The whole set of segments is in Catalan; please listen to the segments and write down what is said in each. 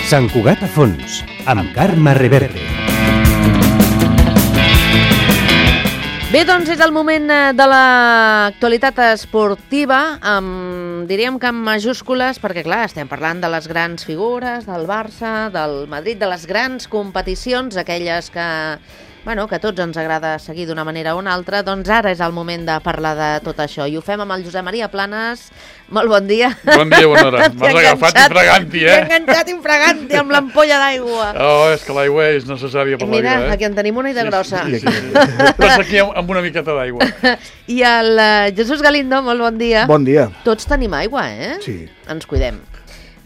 Sant Cugat a fons, amb Carme Reverte. Bé, doncs és el moment de l'actualitat esportiva, diríem que amb majúscules, perquè clar, estem parlant de les grans figures, del Barça, del Madrid, de les grans competicions, aquelles que a tots ens agrada seguir d'una manera o una altra, doncs ara és el moment de parlar de tot això. I ho fem amb el Josep Maria Planes. Molt bon dia. Bon dia, bona hora. M'has agafat infraganti, T'he enganxat infraganti amb l'ampolla d'aigua. Oh, és que l'aigua és necessària per la vida, Mira, aquí en tenim una i de grossa. Sí. Estàs aquí amb una miqueta d'aigua. I el Jesús Galindo, molt bon dia. Bon dia. Tots tenim aigua, eh? Sí. Ens cuidem.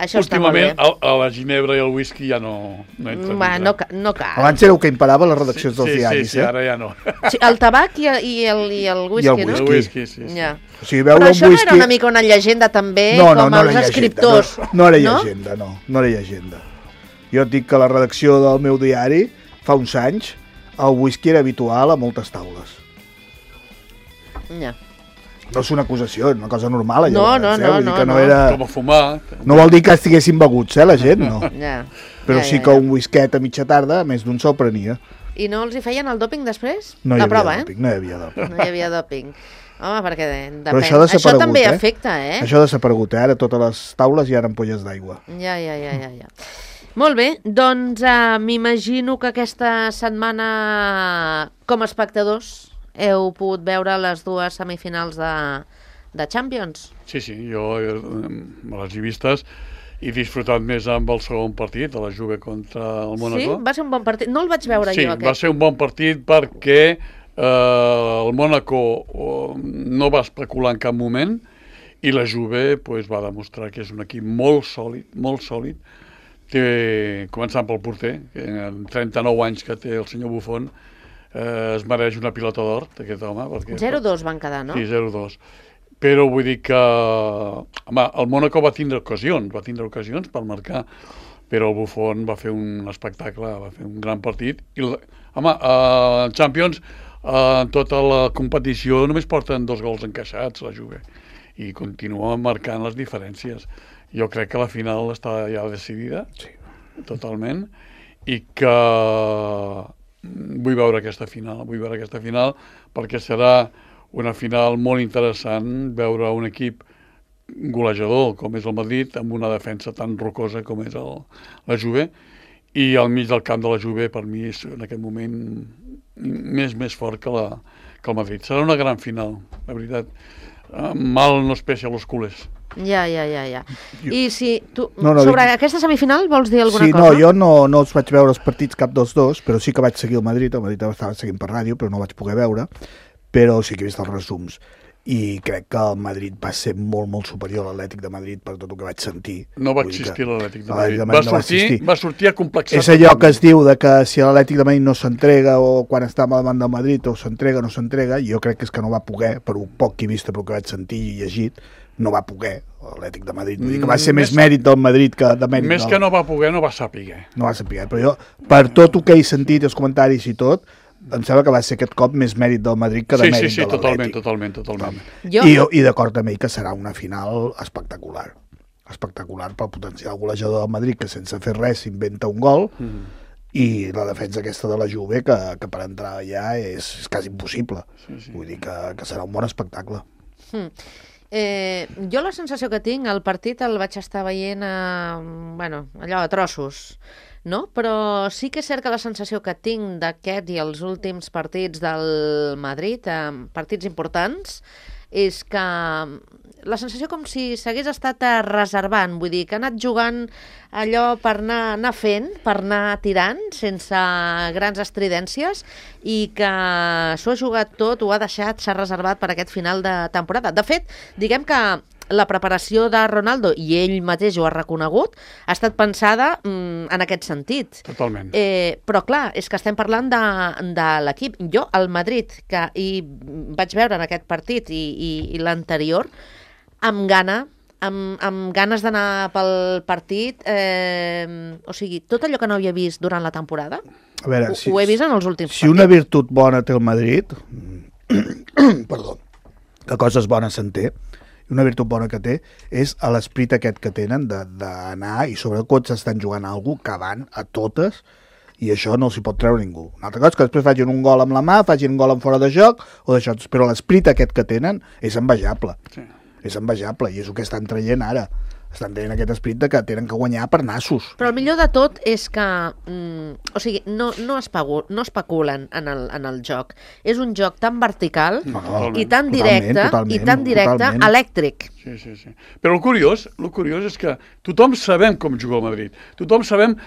Això està molt bé. Últimament, a la ginebra i el whisky ja no entra. No cal. Abans éreu que imparava les redaccions dels diaris, Sí, ara ja no. Sí, el tabac i el whisky, no? El whisky, sí. Ja. O sigui, veure Però un això whisky... no era una mica una llegenda també, no, com no els escriptors? No era llegenda, no era llegenda. Jo et dic que la redacció del meu diari, fa uns anys, el whisky era habitual a moltes taules. Ja. No és una acusació, és una cosa normal, allò. No. Era... Com a fumar. No vol dir que estiguessin beguts, la gent, no. Ja. Però sí que un whisket a mitja tarda, més d'un se'l prenia. I no els hi feien el dòping després? No hi la havia prova, dòping, no hi havia dòping. No hi havia dòping. Home, perquè depèn. Però això també afecta, eh? Això ha desaparegut, Ara totes les taules hi ha ampolles d'aigua. Ja. Molt bé, doncs m'imagino que aquesta setmana, com a espectadors, heu pogut veure les dues semifinals de Champions. Sí, jo me les he vistes i he disfrutat més amb el segon partit, de la Juve contra el Mónaco. Sí? Va ser un bon partit. No el vaig veure jo, aquest. Sí, va ser un bon partit perquè el Mónaco no va especular en cap moment i la Juve va demostrar que és un equip molt sòlid, començant pel porter, que en 39 anys que té el senyor Buffon, es mereix una pilota d'or d'aquest home. 0-2 van quedar, no? Sí, 0-2. Però vull dir que el Mónaco va tindre ocasions per marcar, però el Buffon va fer un espectacle, va fer un gran partit. I, en Champions, en tota la competició, només porten 2 gols encaixats, la Juve, i continua marcant les diferències. Jo crec que la final està ja decidida, sí, totalment, i que vull veure aquesta final perquè serà una final molt interessant, veure un equip golejador com és el Madrid amb una defensa tan rocosa com és la Juve, i al mig del camp de la Juve per mi és en aquest moment més fort que el Madrid. Serà una gran final, la veritat. Mal no es peixa a los culers. Ja. I si tu, sobre aquesta semifinal vols dir alguna cosa? Sí, jo no els vaig veure els partits cap dels dos, però sí que vaig seguir el Madrid estava seguint per ràdio, però no vaig poder veure, però sí que he vist els resums, i crec que el Madrid va ser molt superior a l'Atlètic de Madrid per tot el que vaig sentir. No va existir l'Atlètic de Madrid. Va sortir a complexar. És allò que es diu de que si l'Atlètic de Madrid no s'entrega, o quan està davant del Madrid o s'entrega o no s'entrega, jo crec que és que no va poder, per un poc que he vist, pel que vaig sentir i llegit, no va poder l'Atlètic de Madrid. Vull dir que va ser més mèrit del Madrid que de mèrit més que no va poder, no va saber. No va saber, però jo, per tot el que he sentit, els comentaris i tot, em sembla que va ser aquest cop més mèrit del Madrid que de mèrit de l'Atlètic. Totalment. I d'acord també que serà una final espectacular pel potencial golejador del Madrid, que sense fer res s'inventa un gol, i la defensa aquesta de la Juve, que per entrar allà és quasi impossible. Vull dir que serà un bon espectacle. Jo la sensació que tinc, el partit el vaig estar veient allò a trossos, no? Però sí que és cert que la sensació que tinc d'aquest i els últims partits del Madrid, partits importants, és que la sensació com si s'hagués estat reservant, vull dir, que ha anat jugant allò per anar fent, per anar tirant, sense grans estridències, i que s'ho ha jugat tot, ho ha deixat, s'ha reservat per aquest final de temporada. De fet, diguem que la preparació de Ronaldo, i ell mateix ho ha reconegut, ha estat pensada en aquest sentit. Totalment. Però clar, és que estem parlant de l'equip. Jo, el Madrid, que hi vaig veure en aquest partit i l'anterior, amb ganes d'anar pel partit, o sigui, tot allò que no havia vist durant la temporada, a veure, ho he vist en els últims partits. Si una virtut bona té el Madrid, perdó, que coses bones se'n té, una virtut bona que té, és l'esprit aquest que tenen d'anar, i sobretot s'estan jugant a algú que van a totes, i això no s'hi pot treure ningú. Una altra cosa és que després facin un gol amb la mà, facin un gol en fora de joc, o d'això, però l'esprit aquest que tenen és envejable. Sí. És envejable, i és el que estan traient ara. Estan tenint aquest esprit de que tenen que guanyar per nassos. Però el millor de tot és que o sigui, no especulen en el joc. És un joc tan vertical i tan directe, totalment. Elèctric. Sí. Però el curiós és que tothom sabem com juga el Madrid. Tothom sabem...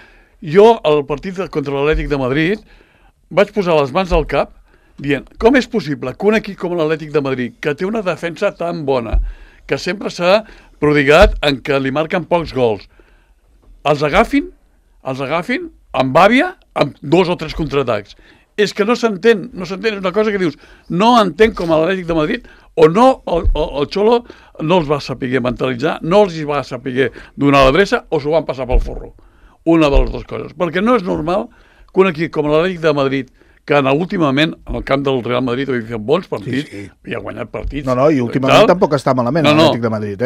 Jo, al partit contra l'Atlètic de Madrid, vaig posar les mans al cap dient, com és possible que un equip com l'Atlètic de Madrid, que té una defensa tan bona, que sempre s'ha prodigat en què li marquen pocs gols, els agafin amb àvia, amb 2 o 3 contraatacs. És que no s'entén, és una cosa que dius, no entenc com l'Atlètic de Madrid, o no, el Xolo no els va saber mentalitzar, no els va saber donar l'adreça, o s'ho van passar pel forro. Una de les dues coses. Perquè no és normal que un equip com l'Atlètic de Madrid, que últimament en el camp del Real Madrid havia fet bons partits, i ha guanyat partits. No, i últimament tampoc està malament l'Atlètic de Madrid,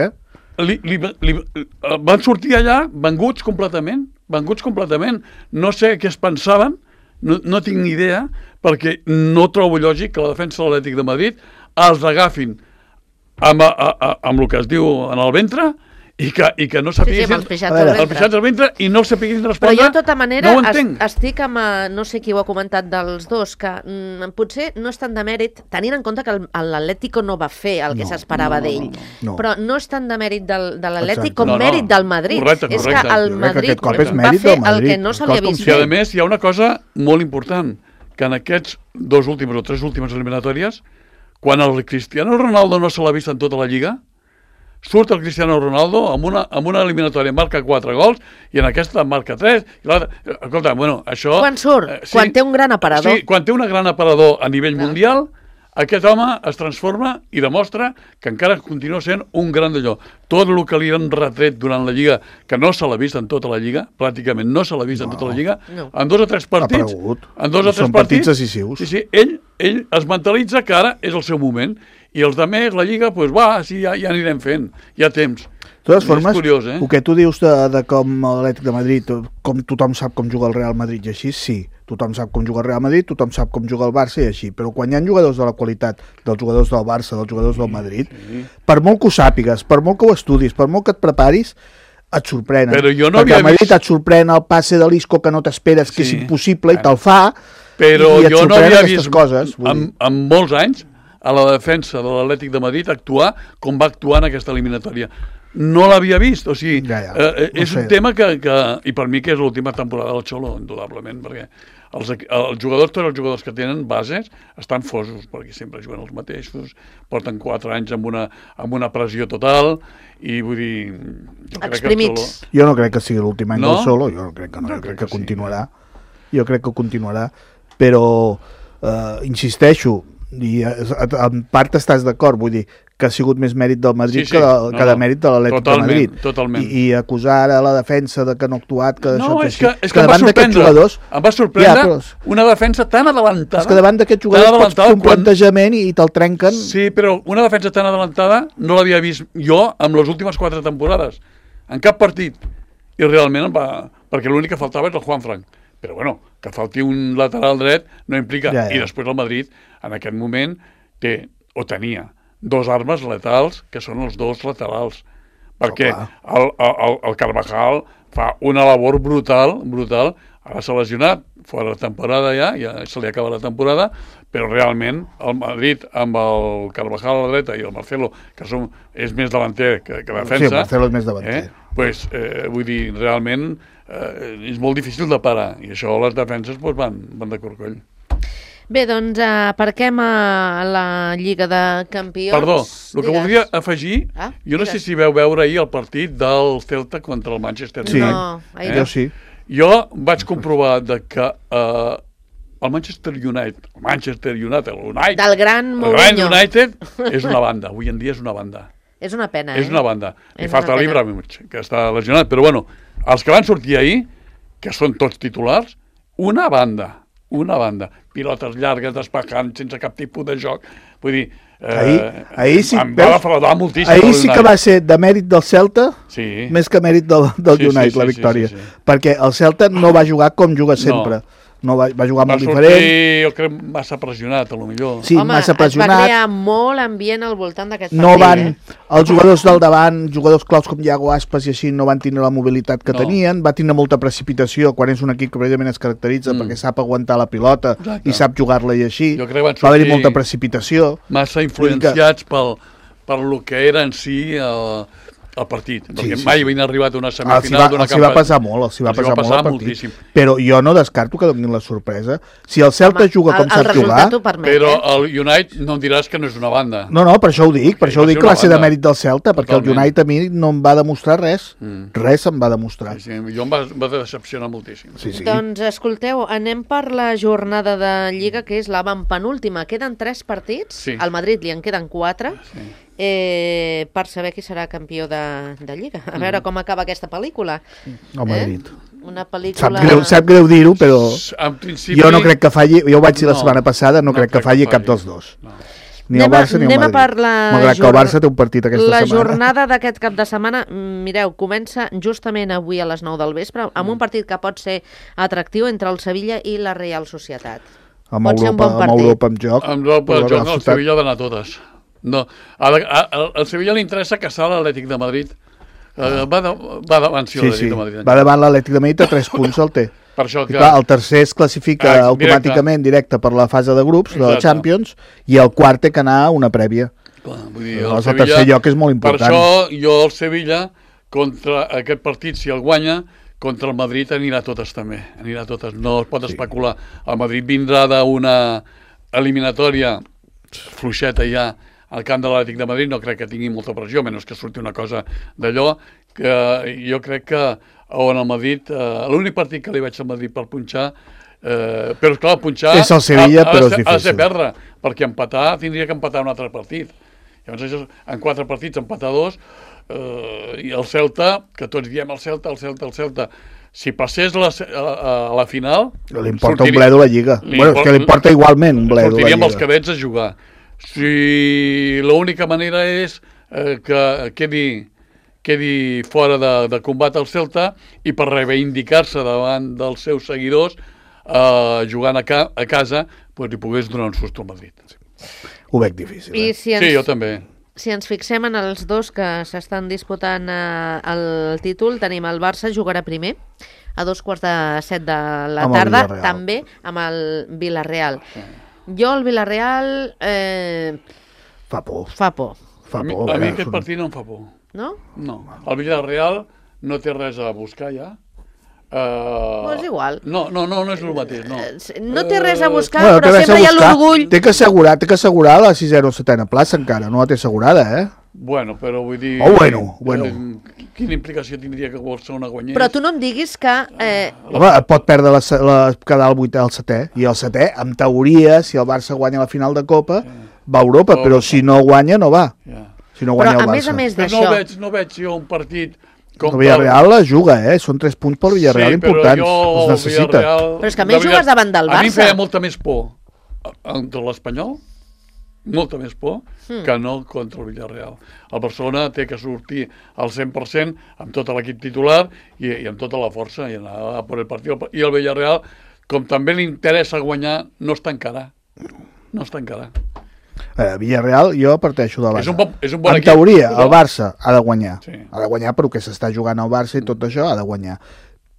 Van sortir allà venguts completament. No sé què es pensaven, no tinc ni idea, perquè no trobo lògic que la defensa de l'Atlètic de Madrid els agafin amb el que es diu en el ventre, i que no sapiguessin... el pixats al ventre i no sapiguessin respondre. Però jo, de tota manera, estic amb... No sé qui ho ha comentat dels dos, que potser no és tant de mèrit, tenint en compte que l'Atlético no va fer el que s'esperava d'ell. Però no és tant de mèrit de l'Atlético com mèrit del Madrid. Correcte. És que el Madrid va fer el que no se li havia vist fer. I, a més, hi ha una cosa molt important, que en aquests 2 últims o 3 últimes eliminatòries, quan el Cristiano Ronaldo no se l'ha vist en tota la Lliga, surt el Cristiano Ronaldo amb una eliminatòria, marca 4 gols, i en aquesta marca 3, i l'altra... Escolta, això... Quan surt? Quan té un gran aparador. Sí, quan té un gran aparador a nivell mundial, aquest home es transforma i demostra que encara continua sent un gran d'allò. Tot el que li han retret durant la Lliga, que no se l'ha vist en tota la Lliga, pràcticament no se l'ha vist en tota la Lliga, en 2 o 3 partits... Són partits decisius. Sí, ell es mentalitza que ara és el seu moment, i els altres, la Lliga, ja anirem fent, hi ha temps. De totes formes, curiós, el que tu dius de com l'Atlètic de Madrid, com tothom sap com juga el Real Madrid i així, sí, tothom sap com juga el Real Madrid, tothom sap com juga el Barça i així, però quan hi ha jugadors de la qualitat dels jugadors del Barça, dels jugadors del Madrid, per molt que ho sàpigues, per molt que ho estudis, per molt que et preparis, et sorprenen. Però jo no perquè al Madrid et sorprèn el passe de l'Isco que no t'esperes, que és impossible, i te'l fa, però i et jo no havia vist coses. En molts anys a la defensa de l'Atlètic de Madrid actuar com va actuar en aquesta eliminatòria. No l'havia vist, o sigui, és un tema que... I per mi que és l'última temporada del Xolo, indudablement, perquè els jugadors, tots els jugadors que tenen bases, estan fosos, perquè sempre juguen els mateixos, porten 4 anys amb una pressió total, i vull dir... Exprimits. Jo no crec que sigui l'últim any del Xolo, jo crec que continuarà. Jo crec que continuarà, però insisteixo, i en part estàs d'acord, vull dir que ha sigut més mèrit del Madrid que de mèrit de l'Atlètic de Madrid. Totalment. I acusar ara la defensa de que no ha actuat, que no, és que em va sorprendre una defensa tan adelantada. És que davant d'aquests jugadors pots fer un plantejament i te'l trenquen. Sí, però una defensa tan adelantada no l'havia vist jo amb les últimes 4 temporades, en cap partit, i realment perquè l'únic que faltava és el Juanfran. Però bueno, que falti un lateral dret no implica... I després el Madrid, en aquest moment, tenia 2 armes letals, que són els 2 laterals. Perquè el Carvajal fa una labor brutal, ara s'ha lesionat, fora de temporada ja se li acaba la temporada, però realment el Madrid amb el Carvajal a la dreta i el Marcelo, que és més davanter que defensa... Sí, el Marcelo és més davanter. Vull dir, realment és molt difícil de parar, i això les defenses van de corcoll. Bé, doncs aparquem a la Lliga de Campions. Perdó, el que voldria afegir, jo no sé si veu veure ahir el partit del Celta contra el Manchester United. Sí, jo sí. Jo vaig comprovar que el Manchester United, del gran Mourinho, United és una banda, avui en dia és una banda. És una pena, És una banda. Li falta l'Ibrahimovic, que està lesionat, però bueno, els que van sortir ahir, que són tots titulars, una banda, pilotes llargues, despejant, sense cap tipus de joc. Vull dir, Ahir sí, em va defraudar moltíssim. ahir sí que va ser de mèrit del Celta Sí. més que mèrit del United, la victòria. Sí. Perquè el Celta no va jugar com juga sempre. No va jugar Va molt sortir, diferent. jo crec, massa pressionat, a lo millor. Sí, Home, massa es va pressionat. crear molt ambient al voltant d'aquest partit. No van, els jugadors del davant, jugadors claus com Iago Aspas i així, no van tindre la mobilitat que tenien, va tindre molta precipitació quan és un equip que precisament es caracteritza perquè sap aguantar la pilota i sap jugar-la i així. Jo crec que van Va haver-hi sortir molta precipitació. Massa influenciats per lo que era en si el partit, perquè mai havien arribat a una semifinal d'una Els hi va passar molt, els hi va passar molt el partit. moltíssim. Però jo no descarto que donin la sorpresa. Si el Celta juga com sap jugar... Però el United no em diràs que no és una banda. No, per això ho dic, per això ho dic que va ser de banda. mèrit del Celta, perquè el Totalment. United a mi no em va demostrar res. Res em va demostrar. Sí, jo em va decepcionar moltíssim. Sí. Doncs escolteu, anem per la jornada de Lliga, que és l'avantpenúltima. Queden 3 partits, Sí. al Madrid li en queden 4, per saber qui serà campió de Lliga. A veure com acaba aquesta pel·lícula. El Madrid. Una pel·lícula... Sap greu dir-ho, però En principi... jo no crec que falli, jo ho vaig dir la No, setmana passada, no crec que falli cap dels dos. Ni el Barça ni el Anem a Madrid. per la Malgrat que el Barça té un partit aquesta la setmana. jornada d'aquest cap de setmana, mireu, comença justament avui a les 9 del vespre, amb un partit que pot ser atractiu entre el Sevilla i la Real Societat. Amb Pot ser un bon partit. Europa en joc. Amb el però joc, la no, el ciutat- Sevilla ha d'anar a totes. No, al Sevilla li interessa caçar l'Atlètic de Madrid. Va davant, sí, Sí, l'Atlètic de Madrid. va davant l'Atlètic de Madrid a 3 punts el té. Per això I que... clar, el tercer es classifica automàticament directe per la fase de grups de la Exacte. Champions i el quart té que anar a una prèvia. Clar, vull dir, Llavors, el tercer lloc és molt important. Per això jo el Sevilla, contra aquest partit, si el guanya, contra el Madrid anirà a totes també. Anirà a totes, no es pot especular. El Madrid vindrà d'una eliminatòria fluixeta ja al camp de l'Atlètic de Madrid, no crec que tingui molta pressió, menys que surti una cosa d'allò, que jo crec que on el Madrid, l'únic partit que li veig al Madrid per punxar, però esclar, punxar És el Sevilla, però és ha de ser difícil. perdre, perquè empatar tindria que empatar un altre partit. Llavors, això, en 4 partits, empatar 2, i el Celta, que tots diem el Celta, si passés a la final... Li importa un bledo la Lliga. Bueno, és que li importa igualment un bledo la Sortiria amb els Lliga. cadets a jugar. Si l'única manera és que quedi fora de combat el Celta i per reivindicar-se davant dels seus seguidors jugant a casa, doncs li pogués donar un susto al Madrid. Ho veig difícil. I si ens, Sí, jo també. si ens fixem en els dos que s'estan disputant el títol, tenim el Barça, jugarà primer, a 2:15 de la Amb el tarda, Villarreal. també amb el Villarreal. Jo el Villarreal Fa por. fa por, Fa A mi por. aquest partit no em fa por. no? No. El Villarreal no té res a buscar ja. No és igual. No és el mateix, no. No té res a buscar, Bueno, té però res a sempre hi ha buscar. l'orgull. Té que assegurar la 6ª o 7ª plaça encara, no la té assegurada, Bueno, però vull dir... bueno. Quina implicació tindria que Barcelona guanyés? Però tu no em diguis que... Home, pot perdre quedar el 8è al 7è, i el 7è, en teoria, si el Barça guanya la final de Copa, va a Europa, però si no guanya, no va. Ja. Si no Però guanya el a Barça. més Però d'això... no veig jo un partit com El Villarreal la juga, són 3 punts pel Villarreal importants, però els necessita. Però és que a més jugues davant del A mi em Barça. feia molta més por contra l'Espanyol, molta més por, que no contra el Villarreal. El Barcelona té que sortir al 100% amb tot l'equip titular i amb tota la força i anar a por el partit. I el Villarreal, com també li interessa guanyar, no es tancarà. No es tancarà. Villarreal, jo parteixo de base. És un bon En equip, teoria, però- el Barça ha de guanyar. Sí. Ha de guanyar però que s'està jugant al Barça i tot això ha de guanyar.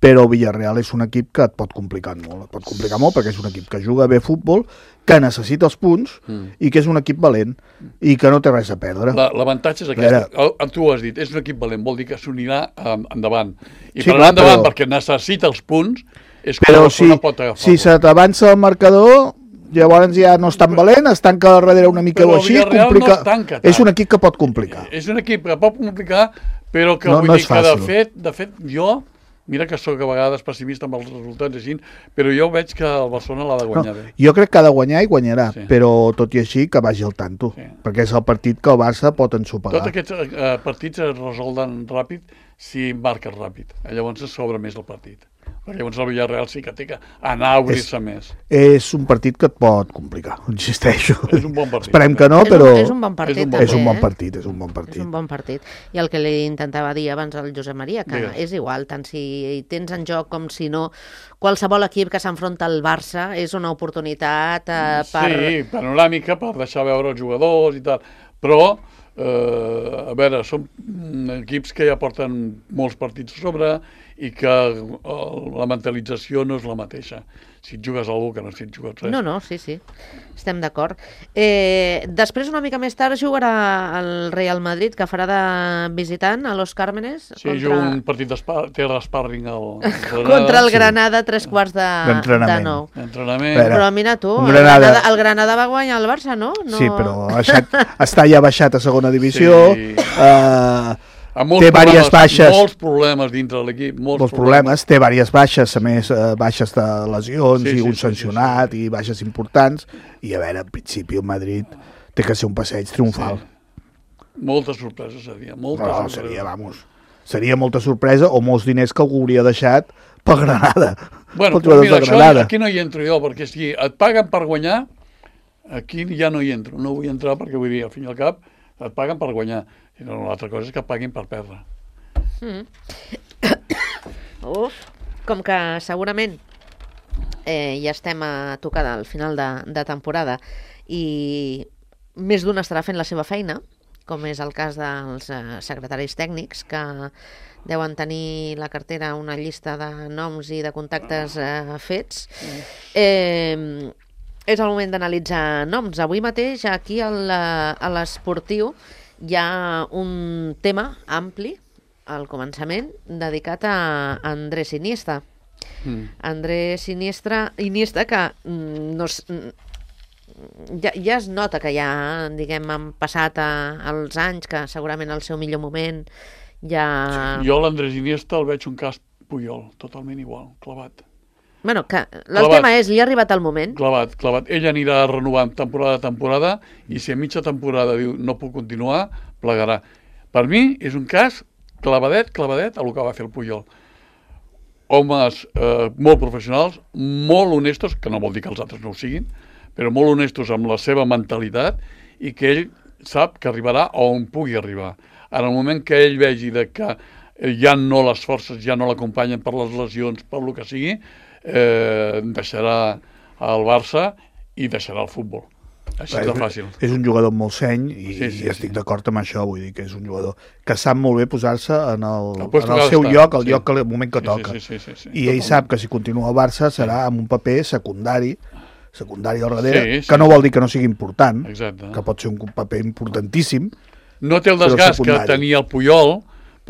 Però el Villarreal és un equip que et pot complicar molt. Et pot complicar molt perquè és un equip que juga bé futbol, que necessita els punts i que és un equip valent i que no té res a perdre. L'avantatge és aquest. Tu ho has dit, és un equip valent, vol dir que s'unirà endavant. I Sí, per clar, anar endavant, però- perquè necessita els punts, és que Però la si, Barcelona pot agafar. si se t'avança el marcador, llavors ja no és tan valent, es tanca darrere una mica Però o el així, Villarreal no complica. es tanca tant. És un equip que pot complicar. És un equip que pot complicar, però que No- vull no dir és que fàcil. de fet, jo, mira que sóc a vegades pessimista amb els resultats així, però jo veig que el Barcelona l'ha de No, guanyar bé. jo crec que ha de guanyar i guanyarà, Sí. però tot i així que vagi al tanto, Sí. perquè és el partit que el Barça pot ensopegar. Tots aquests partits es resolden ràpid si marques ràpid. Llavors es s'obre més el partit. perquè llavors el Villarreal sí que té que anar a obrir-se més. És un partit que et pot complicar, insisteixo. És un bon partit. Esperem que no, però És un bon partit, també, és un bon eh? partit, és un bon partit. És un bon partit. I el que li intentava dir abans al Josep Maria, que Digues. és igual, tant si tens en joc com si no, qualsevol equip que s'enfronta al Barça és una oportunitat per... Sí, panoràmica, per deixar veure els jugadors i tal, però a veure, són equips que ja porten molts partits a sobre i que la mentalització no és la mateixa. Si et jugues algú que no si et jugues res. No, sí, estem d'acord. Després, una mica més tard, jugarà el Real Madrid, que farà de visitant a Los Cármenes. Sí, juga un partit té l'sparring contra el Granada, 3/4 de 9. D'entrenament. Però mira tu, el Granada va guanyar el Barça, no? Sí, però està ja baixat a segona divisió. Sí. Té diverses baixes. Molts problemes dintre de l'equip. Molts problemes. Té diverses baixes, a més baixes de lesions i un sancionat i baixes importants. I a veure, en principi el Madrid té que ser un passeig triomfal. Sí. Moltes sorpreses seria. Seria molta sorpresa o molts diners que algú hauria deixat per Granada. Bueno, però mira, aquí no hi entro jo, perquè si et paguen per guanyar, aquí ja no hi entro. No vull entrar perquè vull dir, al fin i al cap, et paguen per guanyar. I l'altra cosa és que paguin per perdre. Com que segurament ja estem a tocar del final de temporada i més d'un estarà fent la seva feina, com és el cas dels secretaris tècnics, que deuen tenir la cartera una llista de noms i de contactes fets. És el moment d'analitzar noms. Avui mateix, aquí a l'Esportiu, hi ha un tema ampli, al començament, dedicat a Andrés Iniesta. Andrés Iniesta, que ja es nota que ja, diguem, han passat els anys, que segurament el seu millor moment ja... Jo l'Andrés Iniesta el veig un cas Puyol, totalment igual, clavat. Bueno, que el tema és, li ha arribat el moment. Clavat. Ell anirà renovant temporada a temporada i si a mitja temporada diu no puc continuar, plegarà. Per mi és un cas clavadet a el que va fer el Puyol. Homes molt professionals, molt honestos, que no vol dir que els altres no ho siguin, però molt honestos amb la seva mentalitat i que ell sap que arribarà on pugui arribar. En el moment que ell vegi que ja no les forces ja no l'acompanyen per les lesions, per el que sigui, deixarà el Barça i deixarà el futbol. Així de fàcil. És un jugador molt seny i estic d'acord amb això, vull dir que és un jugador que sap molt bé posar-se en el seu lloc, el moment que toca. I ell sap que si continua al Barça serà amb un paper secundari al darrere, que no vol dir que no sigui important, que pot ser un paper importantíssim. No té el desgast que tenia el Puyol,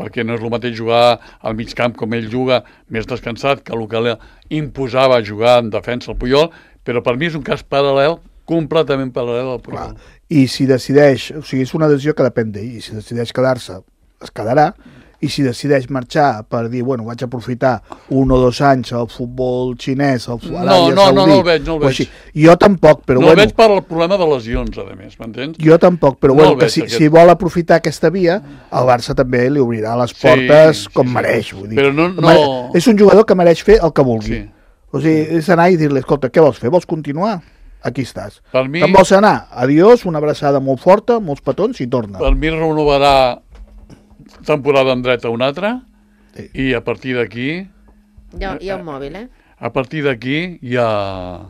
perquè no és el mateix jugar al mig camp com ell juga, més descansat que el que imposava jugar en defensa el Puyol, però per mi és un cas paral·lel, completament paral·lel al Puyol. I si decideix, o sigui, és una decisió que depèn d'ell, i si decideix quedar-se, es quedarà, i si decideix marxar per dir, bueno, vaig aprofitar 1 o 2 anys al futbol xinès, al Aràbia Saudí... No el veig. Jo tampoc, però bueno... No el veig per el problema de lesions, a més, m'entens? Jo tampoc, però bueno, que si vol aprofitar aquesta via, el Barça també li obrirà les portes com mereix, vull dir. Però no... És un jugador que mereix fer el que vulgui. O sigui, és anar i dir-li, escolta, què vols fer? Vols continuar? Aquí estàs. Te'n vols anar? Adiós, una abraçada molt forta, molts petons i torna. Per mi renovarà temporada en dret a una altra i a partir d'aquí... Hi ha un mòbil, eh? A partir d'aquí ja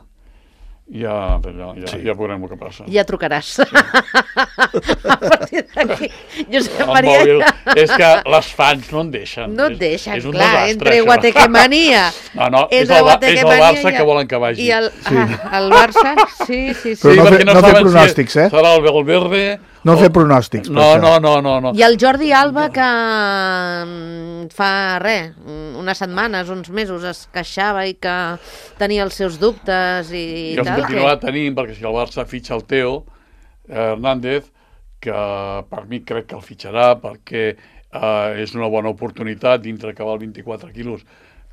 veurem el que passa. Ja trucaràs. A partir d'aquí, Josep Maria... És que les fans no en deixen. No et deixen, clar, entre Guatequemania... No, és el Barça que volen que vagi. I el Barça, sí. Però no fer pronòstics, eh? Serà el Valverde... No fer pronòstics. No. I el Jordi Alba, que fa unes setmanes, uns mesos, es queixava i que tenia els seus dubtes i els continuarà tenint, perquè si el Barça fitxa el Teo Hernández, que per mi crec que el fitxarà, perquè és una bona oportunitat dintre que val 24 quilos,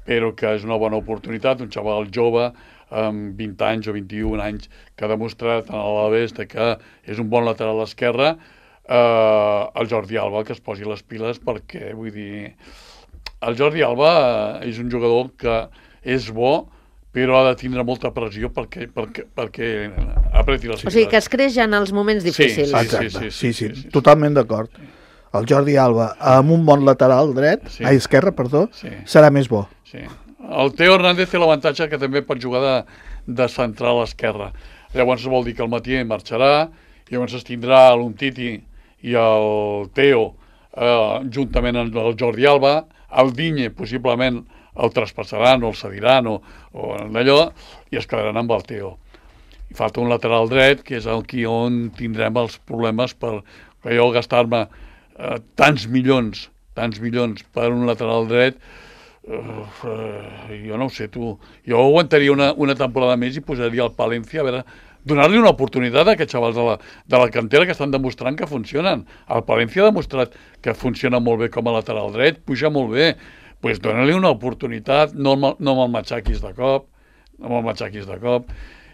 però que és una bona oportunitat, un xaval jove, amb 20 anys o 21 anys, que ha demostrat en l'Alavés que és un bon lateral esquerre, el Jordi Alba que es posi les piles perquè, vull dir, el Jordi Alba és un jugador que és bo, però ha de tindre molta pressió perquè apreti les O sigui, que es creix en els moments difícils. Exacte, sí, totalment d'acord. El Jordi Alba, amb un bon lateral dret, esquerre, perdó, serà més bo. Sí. El Teo Hernández té l'avantatge que també pot jugar de central a l'esquerra. Llavors vol dir que el Mathieu marxarà, llavors es tindrà l'Umtiti i el Teo juntament amb el Jordi Alba, el Digne possiblement el traspassaran o el cediran o d'allò, i es quedaran amb el Teo. I falta un lateral dret, que és aquí on tindrem els problemes per jo gastar-me tants milions per un lateral dret. Jo no ho sé, tu. Jo aguantaria una temporada més i posaria el Palencia, a veure, donar-li una oportunitat a aquests xavals de la cantera que estan demostrant que funcionen. El Palencia ha demostrat que funciona molt bé com a lateral dret, puja molt bé. Doncs dona-li una oportunitat, no me'l matxaquis de cop,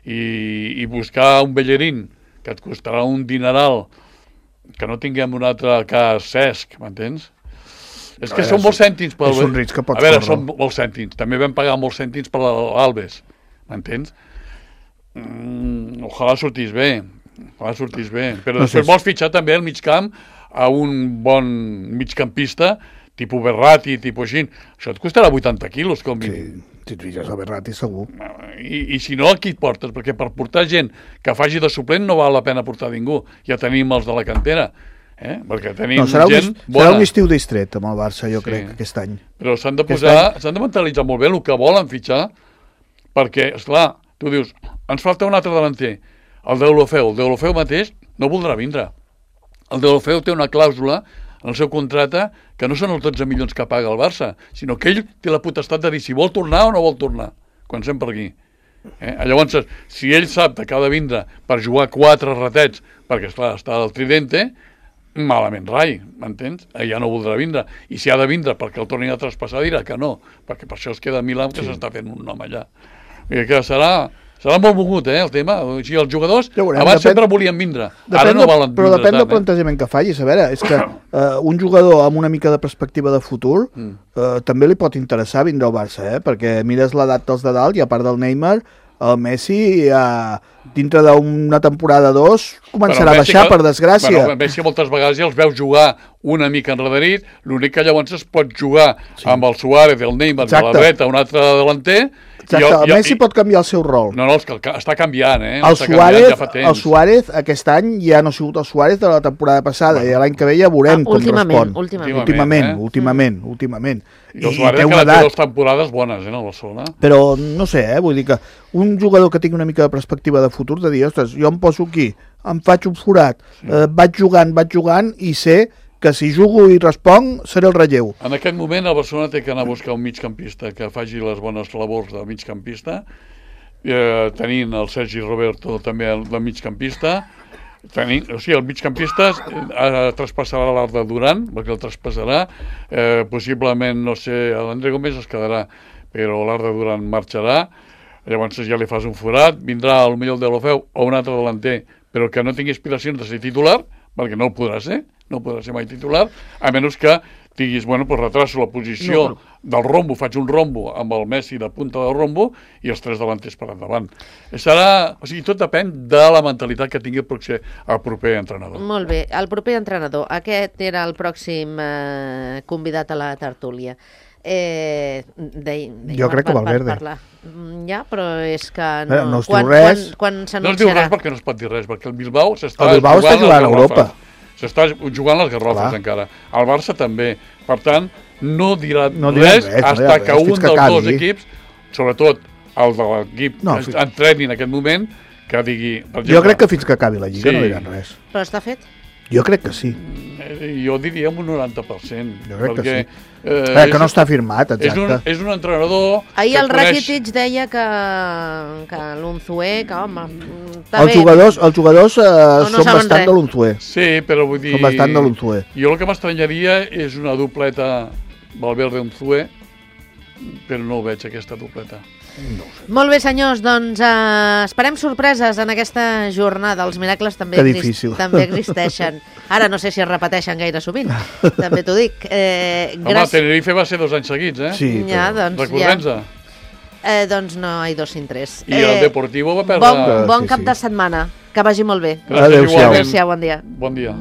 i buscar un Bellerín que et costarà un dineral, que no tinguem un altre cas Cesc, m'entens? És que són molts cèntims. És un risc que pots córrer. A veure, són molts cèntims. També vam pagar molts cèntims per l'Alves, m'entens? Ojalà sortís bé. Però després vols fitxar també al migcamp a un bon migcampista, tipus Berratti, tipus així. Això et costarà 80 quilos, com mínim. Sí, si et fixes a Berratti, segur. I si no, aquí et portes? Perquè per portar gent que faci de suplent no val la pena portar ningú. Ja tenim els de la cantera. Perquè tenim gent bona. Serà un estiu distret amb el Barça, jo crec, aquest any. Però s'han de mentalitzar molt bé el que volen fitxar, perquè, esclar, tu dius, ens falta un altre davanter, el Deulofeu mateix no voldrà vindre. El Deulofeu té una clàusula en el seu contracte que no són els 12 milions que paga el Barça, sinó que ell té la potestat de dir si vol tornar o no vol tornar, quan sem per aquí. Llavors, si ell sap que ha de vindre per jugar 4 ratets, perquè, esclar, està al Tridente, malament rai, m'entens? Ja no voldrà vindre. I si ha de vindre perquè el tornin a traspassar, dirà que no, perquè per això es queda a Milà, que s'està fent un nom allà. I que serà molt mogut, el tema. O sigui, els jugadors abans sempre volien vindre, ara no volen vindre. Però depèn del plantejament que facis. A veure, és que un jugador amb una mica de perspectiva de futur també li pot interessar vindre al Barça, perquè mires l'edat dels de dalt i a part del Neymar, el Messi dintre d'una temporada o 2 començarà a baixar, per desgràcia. El Messi moltes vegades ja els veus jugar una mica enrederit, l'únic que llavors es pot jugar amb el Suárez, el Neymar, de la dreta, un altre delanter. Exacte, el Messi pot canviar el seu rol. No, és que està canviant, El Suárez aquest any ja no ha sigut el Suárez de la temporada passada, i l'any que ve ja veurem com respon. Últimament. I el Suárez que té 2 temporades bones, el Barcelona. Però no sé, vull dir que un jugador que tingui una mica de perspectiva de futur, de dir, ostres, jo em poso aquí, em faig un forat, vaig jugant i sé que si jugo i responc seré el relleu. En aquest moment el Barcelona té que anar a buscar un migcampista que faci les bones labors de migcampista, tenint el Sergi Roberto també de migcampista, o sigui, el migcampista traspassarà l'Arda Duran, perquè el traspassarà, possiblement, no sé, l'André Gómez es quedarà, però l'Arda Duran marxarà, llavors ja li fas un forat, vindrà potser el Deulofeu o un altre delanter, però que no tingui aspiracions de ser titular, perquè no ho podrà ser mai titular, a menys que diguis, retraso la posició del rombo, faig un rombo amb el Messi de punta del rombo i els 3 delanters per endavant. O sigui, tot depèn de la mentalitat que tingui el proper entrenador. Molt bé, el proper entrenador. Aquest era el pròxim convidat a la tertúlia. Jo crec que Valverde. Ja, però és que no es diu res. Quan s'anunciarà? No es diu res perquè no es pot dir res, perquè el Bilbao està jugant a Europa. S'està jugant les garrofes encara. El Barça també. Per tant, no dirà res fins que un dels 2 equips, sobretot el de l'equip que entreni en aquest moment, que digui... Jo crec que fins que acabi la Lliga no diran res. Però està fet? Jo crec que sí. Jo diria un 90%. Jo crec que sí. Que no està firmat, exacte. És un entrenador... Ahir el Rakitic deia que l'Unzué, que home... Els jugadors són bastant de l'Unzué. Sí, però vull dir... Són bastant de l'Unzué. Jo el que m'estranyaria és una dobleta Valverde-Unzué, però no ho veig, aquesta dobleta. No ho sé. Molt bé, senyors, doncs esperem sorpreses en aquesta jornada. Els miracles també, Que difícil. també existeixen. Ara no sé si es repeteixen gaire sovint, també t'ho dic. Home, Tenerife va ser 2 anys seguits, eh? Sí, Ja, doncs, Recordem-se. doncs no hay dos sin tres. I el Deportivo va perdre... Bon Sí, cap sí. de setmana, que vagi molt bé. Gràcies, Adéu-siau. igualment. Adéu-siau, bon dia. Bon dia.